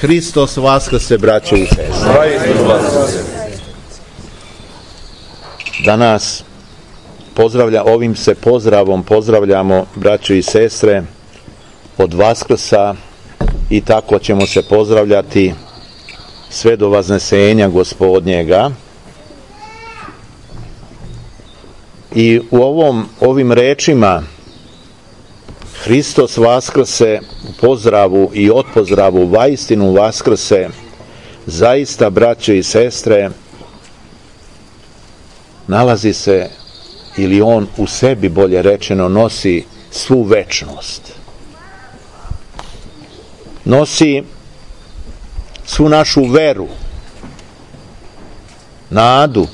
Hristos vaskrse, braćo i sestre. Danas ovim se pozdravom pozdravljamo, braćo i sestre, od Vaskrsa i tako ćemo se pozdravljati sve do vaznesenja Gospodnjega. I u ovim rečima Hristos vaskrse, u pozdravu i odpozdravu vaistinu vaskrse, zaista, braćo i sestre, nalazi se, ili on u sebi, bolje rečeno, nosi svu večnost. Nosi svu našu veru, nadu,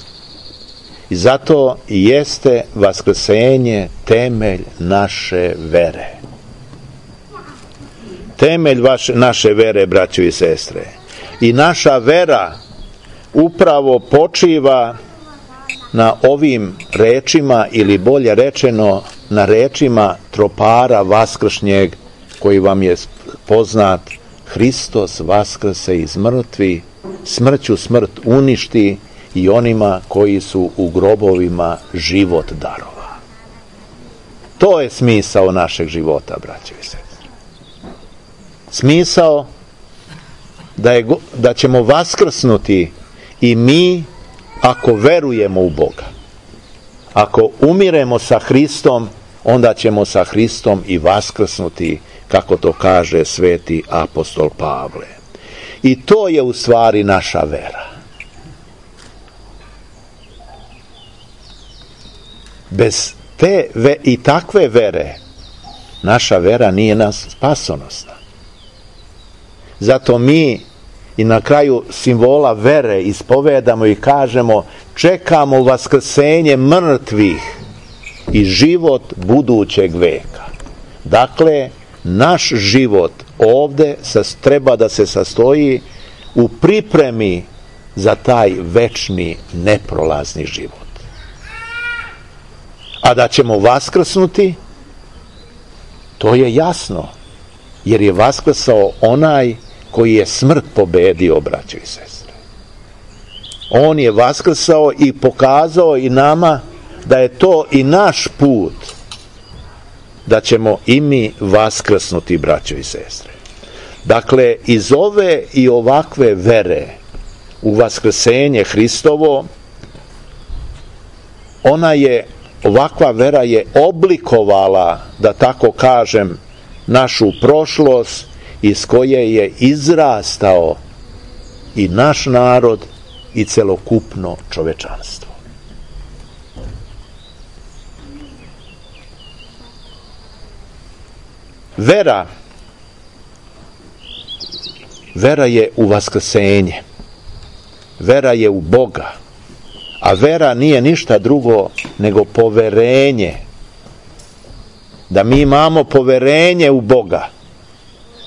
i zato i jeste vaskrsenje temelj naše vere. Temelj naše vere, braćo i sestre. I naša vera upravo počiva na ovim rečima, ili bolje rečeno na rečima tropara vaskršnjeg, koji vam je poznat: Hristos vaskrse iz mrtvih, smrću smrt uništi i onima koji su u grobovima život darova. To je smisao našeg života, braćo i sestre. Smisao da ćemo vaskrsnuti i mi ako verujemo u Boga. Ako umiremo sa Hristom, onda ćemo sa Hristom i vaskrsnuti, kako to kaže sveti apostol Pavle. I to je u stvari naša vera. Bez te i takve vere, naša vera nije nas spasonosna. Zato mi i na kraju simbola vere ispovedamo i kažemo: čekamo vaskrsenje mrtvih i život budućeg veka. Dakle, naš život ovde treba da se sastoji u pripremi za taj večni, neprolazni život. A da ćemo vaskrsnuti, to je jasno, jer je vaskrsao onaj koji je smrt pobedio, braćo i sestre. On je vaskrsao i pokazao i nama da je to i naš put, da ćemo i mi vaskrsnuti, braćo i sestre. Dakle, iz ove i ovakve vere u vaskrsenje Hristovo, ovakva vera je oblikovala, da tako kažem, našu prošlost, iz koje je izrastao i naš narod i celokupno čovečanstvo. Vera je u vaskrsenje. Vera je u Boga. A vera nije ništa drugo nego poverenje. Da mi imamo poverenje u Boga.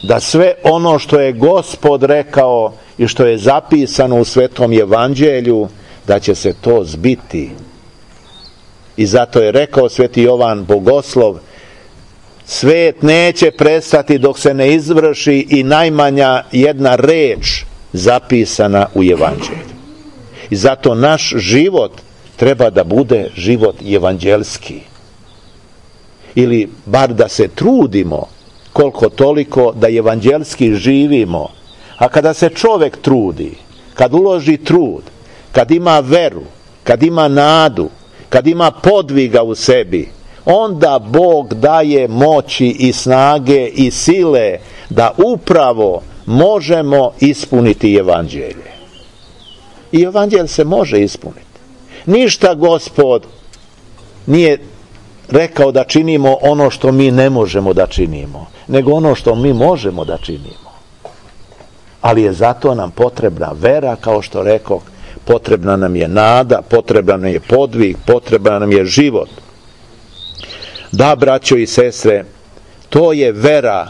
Da sve ono što je Gospod rekao i što je zapisano u Svetom Evanđelju, da će se to zbiti. I zato je rekao sveti Jovan Bogoslov: svet neće prestati dok se ne izvrši i najmanja jedna reč zapisana u Evanđelju. I zato naš život treba da bude život evanđelski. Ili bar da se trudimo koliko toliko da evanđelski živimo. A kada se čovjek trudi, kad uloži trud, kad ima veru, kad ima nadu, kad ima podviga u sebi, onda Bog daje moći i snage i sile da upravo možemo ispuniti evanđelje. I evanđelje se može ispuniti. Ništa Gospod nije rekao da činimo ono što mi ne možemo da činimo, nego ono što mi možemo da činimo. Ali je zato nam potrebna vera, kao što rekoh, potrebna nam je nada, potreban nam je podvig, potreban nam je život. Da, braćo i sestre, to je vera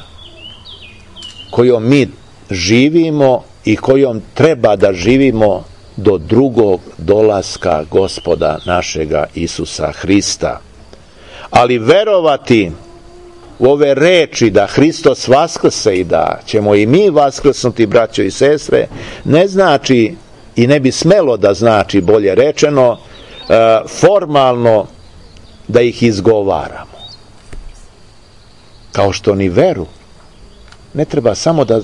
kojom mi živimo i kojom treba da živimo do drugog dolaska Gospoda našega Isusa Hrista. Ali verovati u ove reči da Hristos vaskrse i da ćemo i mi vaskrsnuti, braćo i sestre, ne znači i ne bi smelo da znači, bolje rečeno, formalno da ih izgovaramo. Kao što ni veru ne treba samo da,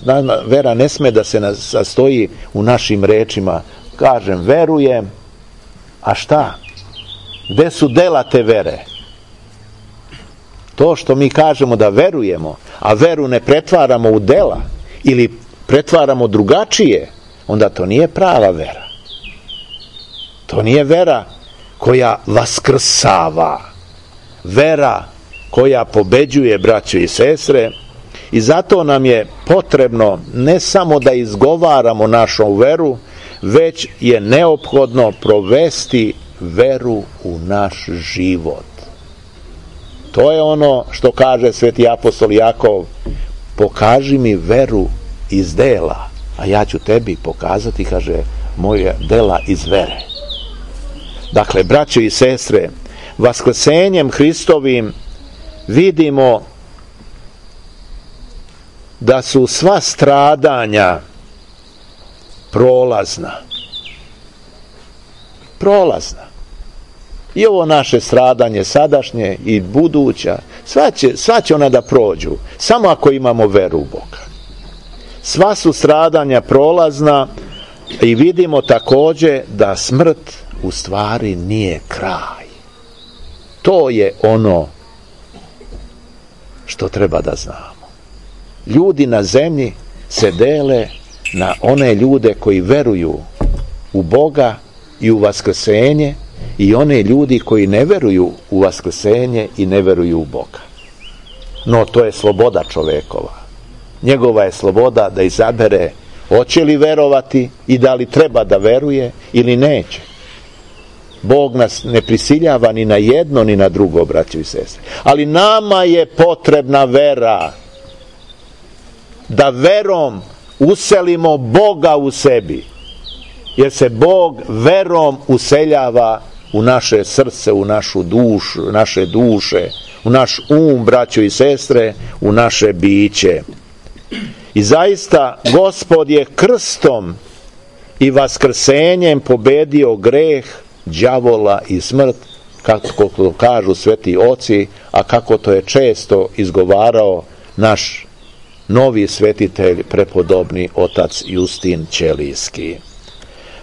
vera ne sme da se sastoji u našim rečima. Kažem, verujem, a šta? Gde su dela te vere? To što mi kažemo da verujemo, a veru ne pretvaramo u dela ili pretvaramo drugačije, onda to nije prava vera. To nije vera koja vaskrsava, vera koja pobeđuje, braćo i sestre, i zato nam je potrebno ne samo da izgovaramo našu veru, već je neophodno provesti veru u naš život. To je ono što kaže sveti apostol Jakov: pokaži mi veru iz dela, a ja ću tebi pokazati, kaže, moje dela iz vere. Dakle, braćo i sestre, vaskrsenjem Hristovim vidimo da su sva stradanja prolazna. I ovo naše stradanje sadašnje i buduća, sva će ona da prođu, samo ako imamo veru u Boga. Sva su stradanja prolazna i vidimo također da smrt u stvari nije kraj. To je ono što treba da znamo. Ljudi na zemlji se dele na one ljude koji veruju u Boga i u vaskrsenje, i one ljudi koji ne veruju u vaskrsenje i ne veruju u Boga. No, to je sloboda čovekova. Njegova je sloboda da izabere hoće li verovati i da li treba da veruje ili neće. Bog nas ne prisiljava ni na jedno ni na drugo, braćo i sestre. Ali nama je potrebna vera, da verom uselimo Boga u sebi, jer se Bog verom useljava u naše srce, u našu dušu, naše duše, u naš braćo i sestre, u naše biće. I zaista Gospod je krstom i vaskrsenjem pobedio greh, đavola i smrt, kako to kažu sveti oci, a kako to je često izgovarao naš novi svetitelj, prepodobni otac Justin Ćelijski.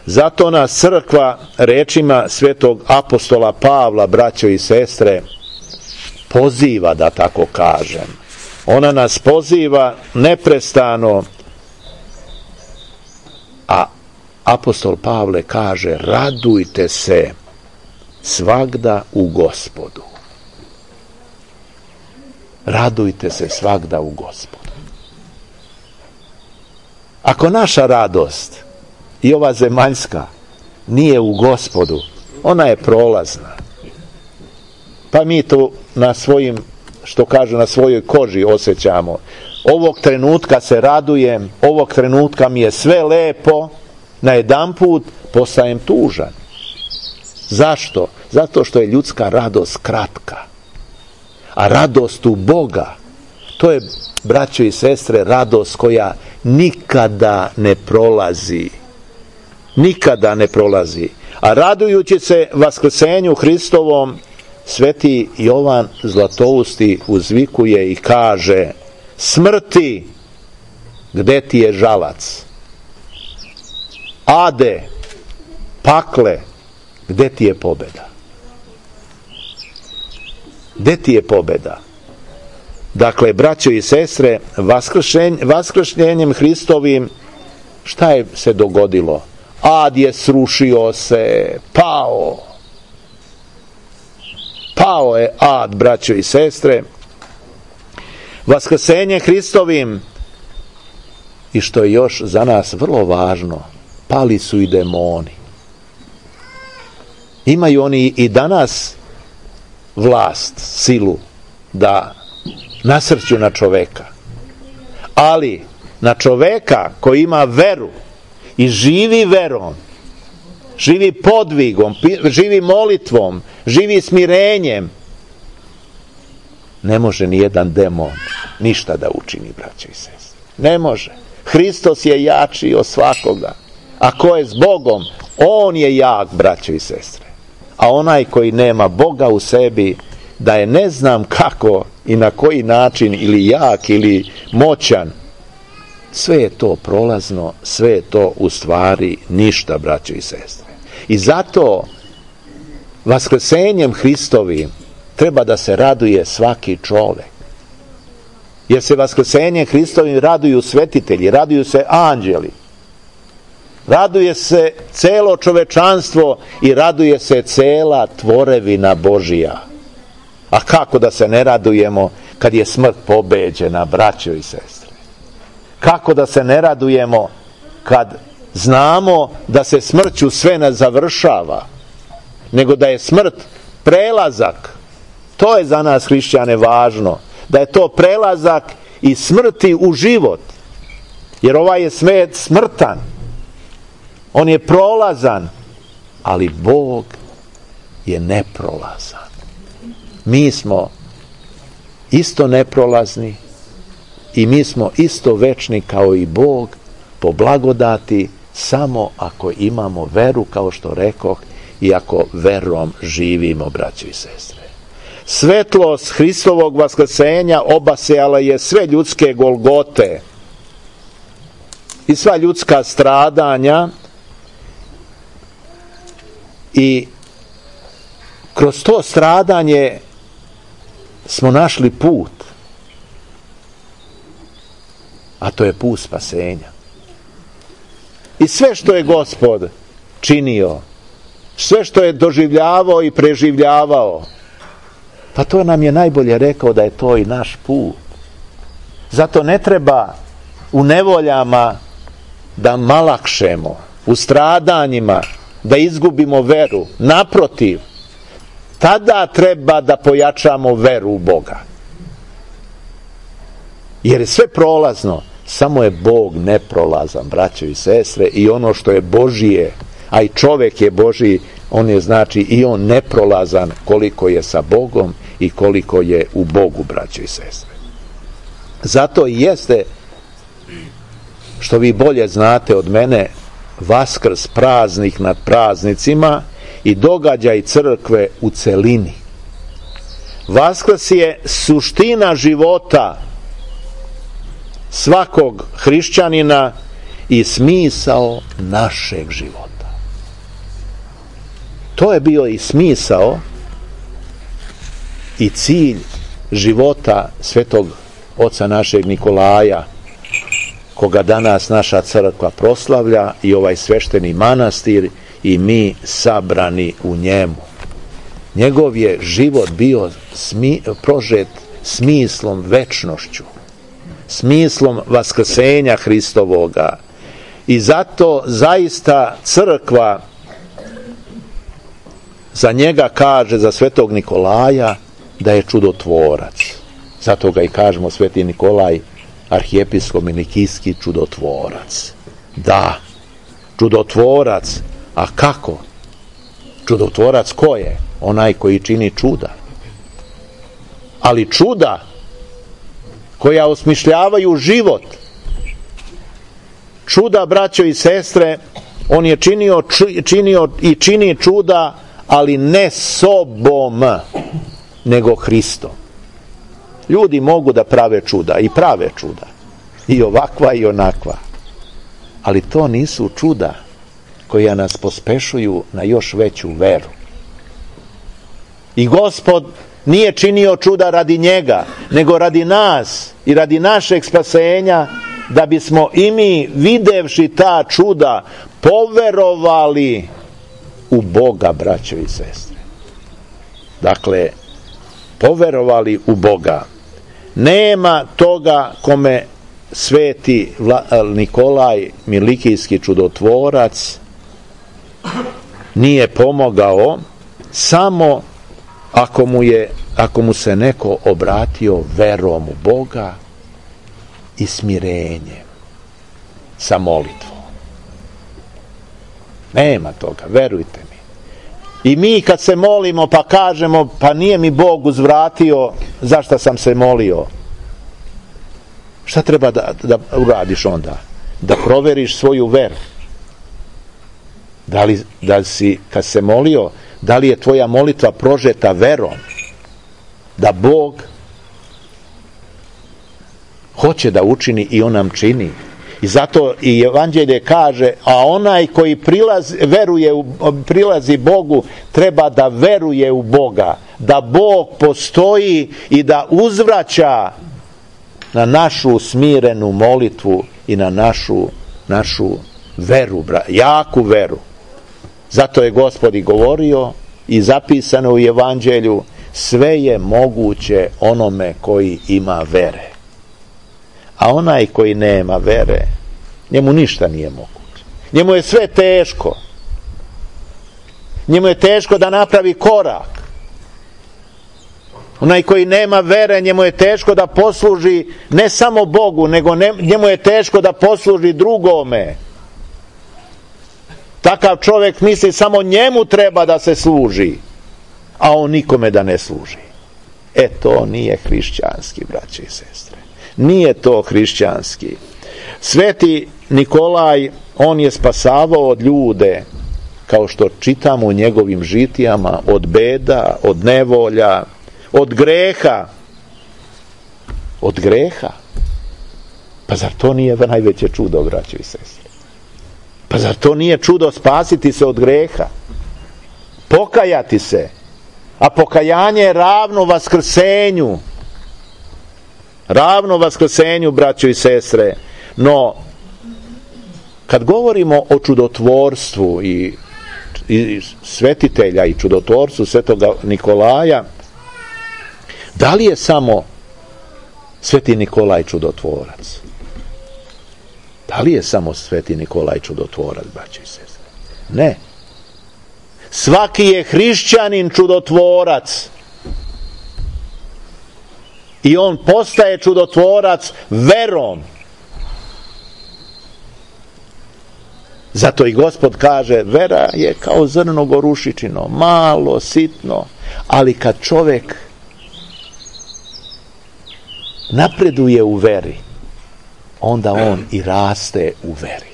Zato nas crkva rečima svetog apostola Pavla, braćo i sestre, poziva, da tako kažem. Ona nas poziva neprestano, a apostol Pavle kaže: radujte se svagda u Gospodu. Radujte se svagda u Gospodu. Ako naša radost, i ova zemaljska, nije u Gospodu, ona je prolazna. Pa mi to na svojim, što kažu, na svojoj koži osjećamo. Ovog trenutka se radujem, ovog trenutka mi je sve lepo, najedanput postajem tužan. Zašto? Zato što je ljudska radost kratka. A radost u Boga, to je, braćo i sestre, radost koja nikada ne prolazi. Nikada ne prolazi. A radujući se vaskrsenju Hristovom, sveti Jovan Zlatousti uzvikuje i kaže: smrti, gde ti je žalac? Ade, pakle, gde ti je pobeda? Gde ti je pobeda? Dakle, braćo i sestre, vaskršnjenjem Hristovim, šta je se dogodilo? Ad je srušio se, pao je ad, braćo i sestre. Vaskrsenje Hristovim, i što je još za nas vrlo važno, pali su i demoni. Imaju oni i danas vlast, silu da nasrću na čoveka, ali na čoveka koji ima veru i živi verom, živi podvigom, živi molitvom, živi smirenjem, ne može ni jedan demon ništa da učini, braćo i sestre. Ne može. Hristos je jači od svakoga. A ko je s Bogom, on je jak, braćo i sestre. A onaj koji nema Boga u sebi, da je ne znam kako i na koji način, ili jak ili moćan, sve je to prolazno, sve je to u stvari ništa, braćo i sestre. I zato vaskrsenjem Hristovim treba da se raduje svaki čovek. Jer se vaskrsenjem Hristovim raduju svetitelji, raduju se anđeli, raduje se celo čovečanstvo i raduje se cela tvorevina Božija. A kako da se ne radujemo kad je smrt pobeđena, braćo i sestre? Kako da se ne radujemo kad znamo da se smrću sve ne završava, nego da je smrt prelazak? To je za nas hrišćane važno, da je to prelazak iz smrti u život. Jer ovaj je svet smrtan, on je prolazan, ali Bog je neprolazan. Mi smo isto neprolazni i mi smo isto večni kao i Bog, po blagodati, samo ako imamo veru, kao što rekoh, i ako verom živimo, braćo i sestre. Svetlost Hristovog vaskrsenja obasjala je sve ljudske golgote i sva ljudska stradanja, i kroz to stradanje smo našli put, a to je put spasenja. I sve što je Gospod činio, sve što je doživljavao i preživljavao, pa to nam je najbolje rekao da je to i naš put. Zato ne treba u nevoljama da malakšemo, u stradanjima da izgubimo veru. Naprotiv, tada treba da pojačamo veru u Boga. Jer je sve prolazno, samo je Bog neprolazan, braćo i sestre, i ono što je Božije, a i čovjek je Božiji, on je znači i on neprolazan koliko je sa Bogom i koliko je u Bogu, braćo i sestre. Zato i jeste, što vi bolje znate od mene, Vaskrs praznik nad praznicima i događaj crkve u celini. Vaskrs je suština života svakog hrišćanina i smisao našeg života. To je bio i smisao i cilj života svetog oca našeg Nikolaja, koga danas naša crkva proslavlja, i ovaj svešteni manastir i mi sabrani u njemu. Njegov je život bio prožet smislom večnošću, smislom vaskrsenja Hristovoga, i zato zaista crkva za njega kaže, za svetog Nikolaja, da je čudotvorac. Zato ga i kažemo sveti Nikolaj, arhijepiskop Nikijski čudotvorac. Da, čudotvorac. A kako? Čudotvorac ko je? Onaj koji čini čuda. Ali čuda koja osmišljavaju život. Čuda, braćo i sestre, on je činio i čini čuda, ali ne sobom, nego Hristom. Ljudi mogu da prave čuda, i prave čuda, i ovakva i onakva, ali to nisu čuda koja nas pospešuju na još veću veru. I Gospod nije činio čuda radi njega, nego radi nas i radi našeg spasenja, da bismo i mi, videvši ta čuda, poverovali u Boga, braćo i sestre. Dakle, poverovali u Boga. Nema toga kome sveti Nikolaj Milikijski čudotvorac nije pomogao, samo ako mu se neko obratio verom u Boga i smirenjem, sa molitvom. Nema toga, verujte mi. I mi kad se molimo pa kažemo, pa nije mi Bog uzvratio, zašto sam se molio? Šta treba da uradiš onda? Da proveriš svoju veru. Da li si, kad se molio, da li je tvoja molitva prožeta verom? Da Bog hoće da učini i on nam čini. I zato i evanđelje kaže, a onaj koji prilazi Bogu, treba da veruje u Boga, da Bog postoji i da uzvraća na našu smirenu molitvu i na našu veru, jaku veru. Zato je Gospod i govorio i zapisano u evanđelju, sve je moguće onome koji ima vere. A onaj koji nema vere, njemu ništa nije moguće. Njemu je sve teško. Njemu je teško da napravi korak. Onaj koji nema vere, njemu je teško da posluži ne samo Bogu, nego njemu je teško da posluži drugome. Takav čovjek misli samo njemu treba da se služi, a on nikome da ne služi. To nije hrišćanski, braće i sestre. Nije to hrišćanski. Sveti Nikolaj, on je spasavao od ljude, kao što čitamo u njegovim žitijama, od beda, od nevolja, od greha. Od greha. Pa zar to nije najveće čudo, braće i sestre? Pa zar to nije čudo spasiti se od greha? Pokajati se. A pokajanje je ravno vaskrsenju. Ravno vaskrsenju, braćo i sestre. No, kad govorimo o čudotvorstvu i svetitelja i čudotvorstvu svetoga Nikolaja, da li je samo sveti Nikolaj čudotvorac? Da li je samo sveti Nikolaj čudotvorac, braćo i sestre? Ne. Svaki je hrišćanin čudotvorac. I on postaje čudotvorac verom. Zato i Gospod kaže, vera je kao zrno gorušičino, malo, sitno, ali kad čovjek napreduje u veri, onda on i raste u veri.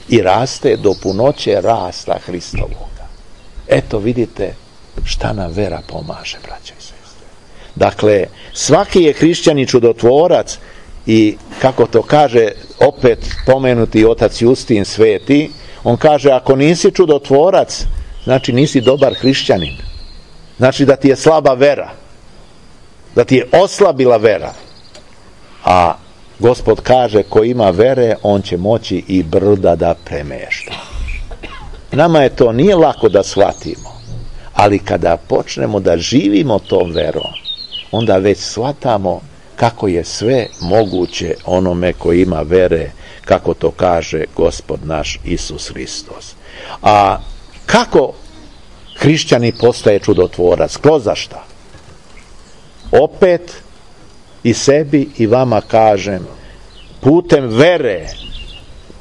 I raste do punoće rasta Hristovoga. Eto vidite šta nam vera pomaže, braćo i sestre. Dakle, svaki je hrišćanin čudotvorac i kako to kaže opet pomenuti otac Justin sveti, on kaže ako nisi čudotvorac, znači nisi dobar hrišćanin. Znači da ti je slaba vera. Da ti je oslabila vera. A Gospod kaže ko ima vere, on će moći i brda da premešta. Nama je to nije lako da shvatimo, ali kada počnemo da živimo tom verom, onda već shvatamo kako je sve moguće onome koji ima vere, kako to kaže Gospod naš Isus Hristos. A kako hrišćani postaje čudotvorac? Kroz šta? Opet i sebi i vama kažem, putem vere,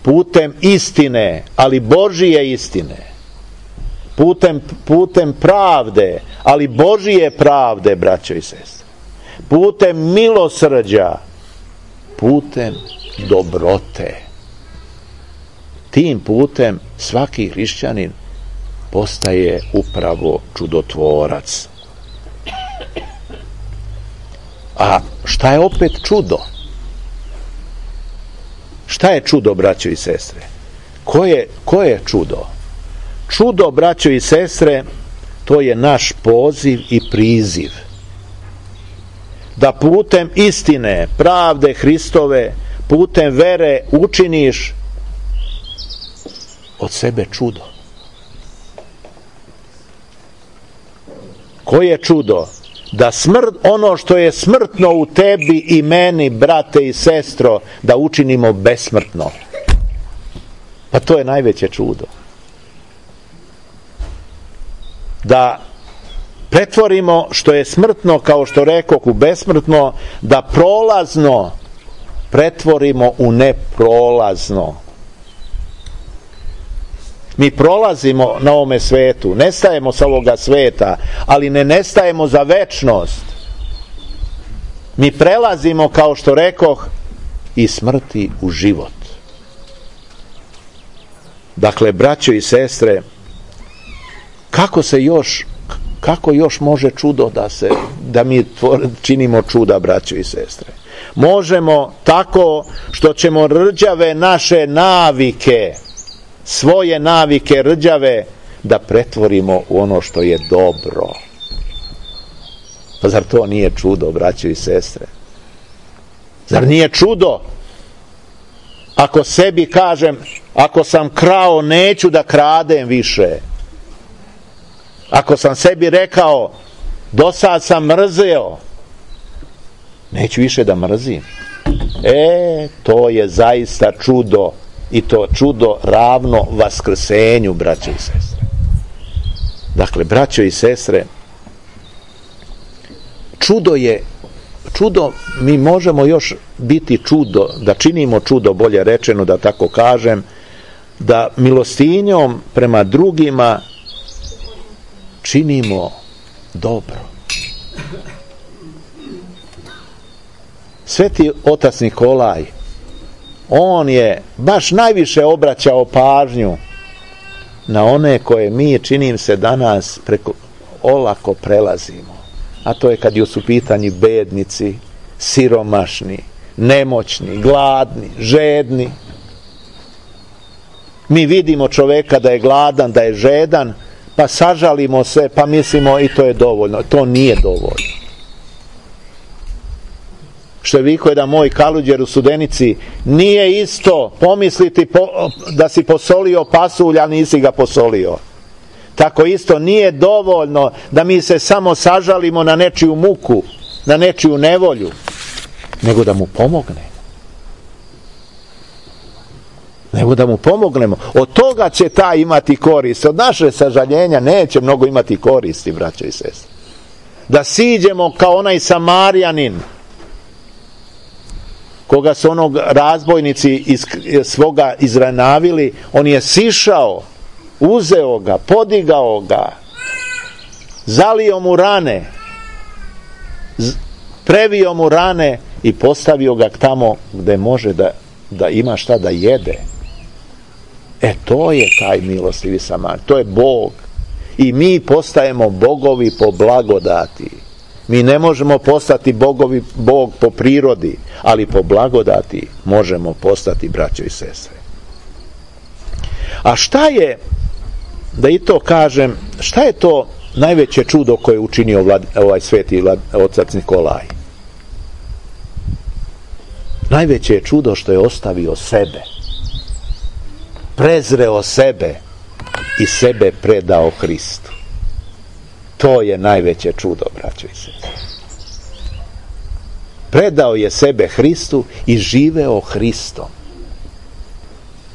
putem istine, ali Božije istine, putem pravde, ali Božije pravde, braćo i sestre, putem milosrđa, putem dobrote. Tim putem svaki hrišćanin postaje upravo čudotvorac. A šta je opet čudo? Šta je čudo, braćo i sestre? Ko je čudo? Čudo, braćo i sestre, to je naš poziv i priziv. Da putem istine, pravde Hristove, putem vere učiniš od sebe čudo. Koje čudo? Da ono što je smrtno u tebi i meni, brate i sestro, da učinimo besmrtno. Pa to je najveće čudo. Da pretvorimo što je smrtno, kao što rekoh, u besmrtno, da prolazno pretvorimo u neprolazno. Mi prolazimo na ovome svetu, nestajemo sa ovoga sveta, ali ne nestajemo za večnost. Mi prelazimo, kao što rekoh, iz smrti u život. Dakle, braćo i sestre, kako još može čudo da mi činimo čuda, braćo i sestre? Možemo tako što ćemo rđave naše navike, svoje navike rđave, da pretvorimo u ono što je dobro. Pa zar to nije čudo, braćo i sestre? Zar nije čudo ako sebi kažem, ako sam krao, neću da kradem više? Ako sam sebi rekao, do sad sam mrzeo, neću više da mrzim. To je zaista čudo, i to čudo ravno vaskrsenju, braćo i sestre. Dakle, braćo i sestre, čudo, mi možemo još biti čudo, da činimo čudo, bolje rečeno, da tako kažem, da milostinjom prema drugima činimo dobro. Sveti otac Nikolaj, on je baš najviše obraćao pažnju na one koje mi, činim se, danas olako prelazimo. A to je kad su u pitanju bednici, siromašni, nemoćni, gladni, žedni. Mi vidimo čoveka da je gladan, da je žedan, pa sažalimo se, pa mislimo i to je dovoljno. To nije dovoljno. Što je vikao jedan moj kaluđer u Studenici, nije isto pomisliti da si posolio pasulj, a nisi ga posolio. Tako isto nije dovoljno da mi se samo sažalimo na nečiju muku, na nečiju nevolju, nego da mu pomognemo. Od toga će taj imati korist. Od naše sažaljenja neće mnogo imati koristi, braćo i sestre. Da siđemo kao onaj Samarjanin, koga su onog razbojnici svoga izranavili, on je sišao, uzeo ga, podigao ga, zalio mu rane, previo mu rane i postavio ga tamo gde može da ima šta da jede. To je taj milostivi Samar, to je Bog. I mi postajemo bogovi po blagodati. Mi ne možemo postati Bog po prirodi, ali po blagodati možemo postati, braćo i sestre. A šta je, da i to kažem, šta je to najveće čudo koje je učinio ovaj sveti otac Nikolaj? Najveće je čudo što je ostavio sebe, prezreo sebe i sebe predao Hristu. To je najveće čudo, braćo i sestre. Predao je sebe Hristu i živeo Hristom.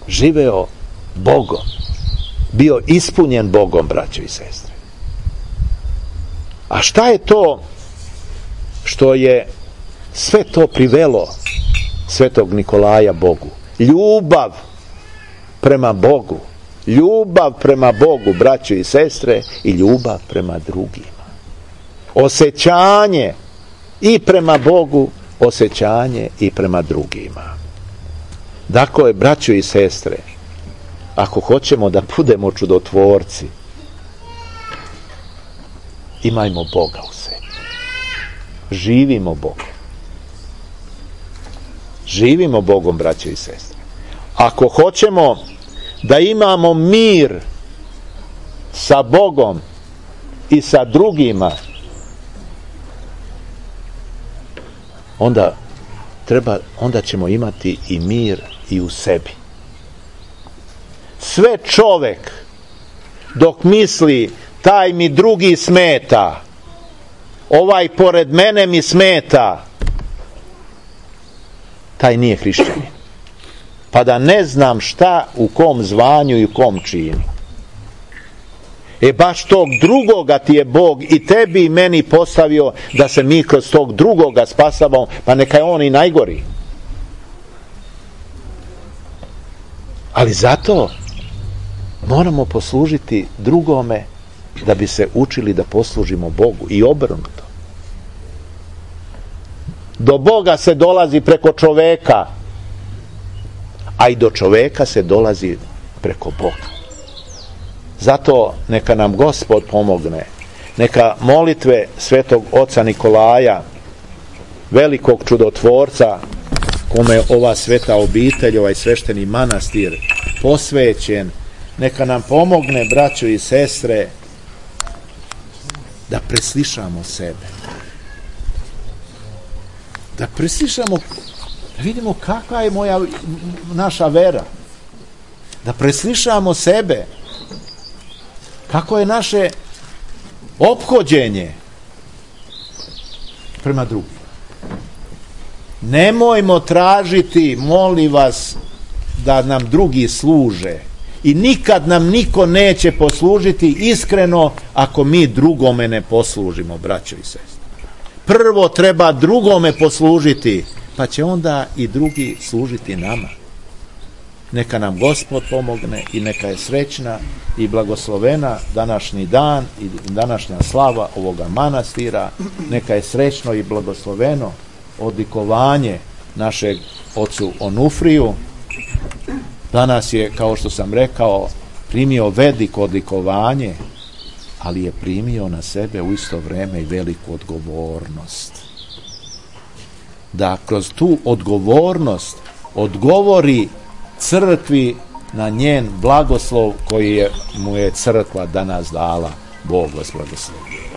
Živeo Bogom. Bio ispunjen Bogom, braćo i sestre. A šta je to što je sve to privelo svetog Nikolaja Bogu? Ljubav prema Bogu. Ljubav prema Bogu, braćo i sestre, i ljubav prema drugima. Osjećanje i prema Bogu, osjećanje i prema drugima. Dakle, braćo i sestre, ako hoćemo da budemo čudotvorci, imajmo Boga u sebi. Živimo Bogom. Živimo Bogom, braćo i sestre. Ako hoćemo da imamo mir sa Bogom i sa drugima, onda ćemo imati i mir i u sebi. Sve čovek dok misli taj mi drugi smeta, ovaj pored mene mi smeta, taj nije hrišćanin. Pa da ne znam šta, u kom zvanju i u kom činu. Baš tog drugoga ti je Bog i tebi i meni postavio da se mi kroz tog drugoga spasavamo, pa neka je on i najgori. Ali zato Moramo poslužiti drugome da bi se učili da poslužimo Bogu i obrnuto. Do Boga se dolazi preko čoveka, a i do čoveka se dolazi preko Boga. Zato neka nam Gospod pomogne, neka molitve svetog oca Nikolaja, velikog čudotvorca, kome je ova sveta obitelj, ovaj svešteni manastir posvećen, neka nam pomogne, braćo i sestre, da preslišamo sebe. Da preslišamo, da vidimo kakva je naša vera. Da preslišamo sebe. Kako je naše ophođenje prema drugim. Nemojmo tražiti, molim vas, da nam drugi služe. I nikad nam niko neće poslužiti iskreno ako mi drugome ne poslužimo, braćo i sestre. Prvo treba drugome poslužiti, pa će onda i drugi služiti nama. Neka nam Gospod pomogne i neka je srećna i blagoslovena današnji dan i današnja slava ovoga manastira. Neka je srećno i blagosloveno odlikovanje našeg ocu Onufriju. Danas je, kao što sam rekao, primio veliko odlikovanje, ali je primio na sebe u isto vrijeme i veliku odgovornost. Da kroz tu odgovornost odgovori crkvi na njen blagoslov koji mu je crkva danas dala. Bog vas blagoslovi.